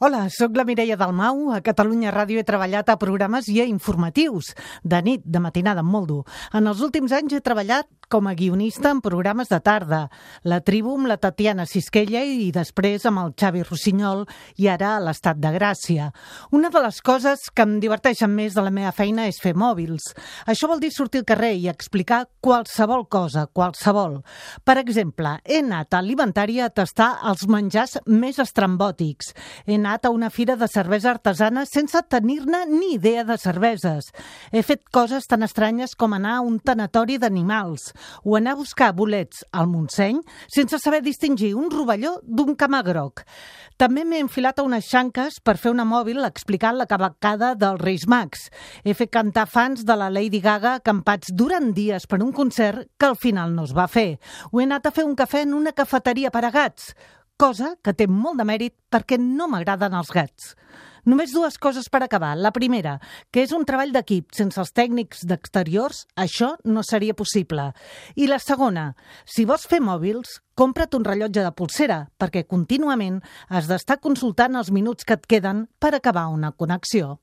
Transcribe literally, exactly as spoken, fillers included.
Hola, sóc la Mireia Dalmau. A Catalunya Ràdio he treballat a programes i a informatius, de nit, de matinada, molt dur. En els últims anys he treballat com a guionista en programes de tarda. La Tribu amb la Tatiana Sisquella i després amb el Xavi Rossinyol i ara a l'Estat de Gràcia. Una de les coses que em diverteixen més de la meva feina és fer mòbils. Això vol dir sortir al carrer i explicar qualsevol cosa, qualsevol. Per exemple, he anat a Alimentària a tastar els menjars més estrambòtics. He anat a una fira de cervesa artesana sense tenir-ne ni idea de cerveses. He fet coses tan estranyes com anar a un tanatori d'animals o anar a buscar bolets al Montseny sense saber distingir un rovelló d'un camagroc. També m'he enfilat a unes xanques per fer una mòbil explicant la cavalcada dels Reis Mags. He fet cantar fans de la Lady Gaga acampats durant dies per un concert que al final no es va fer. O he anat a fer un cafè en una cafeteria per a gats, cosa que té molt de mèrit perquè no m'agraden els gats. Només dues coses per acabar. La primera, que és un treball d'equip. Sense els tècnics d'exteriors, això no seria possible. I la segona, si vols fer mòbils, compra't un rellotge de polsera, perquè contínuament has d'estar consultant els minuts que et queden per acabar una connexió.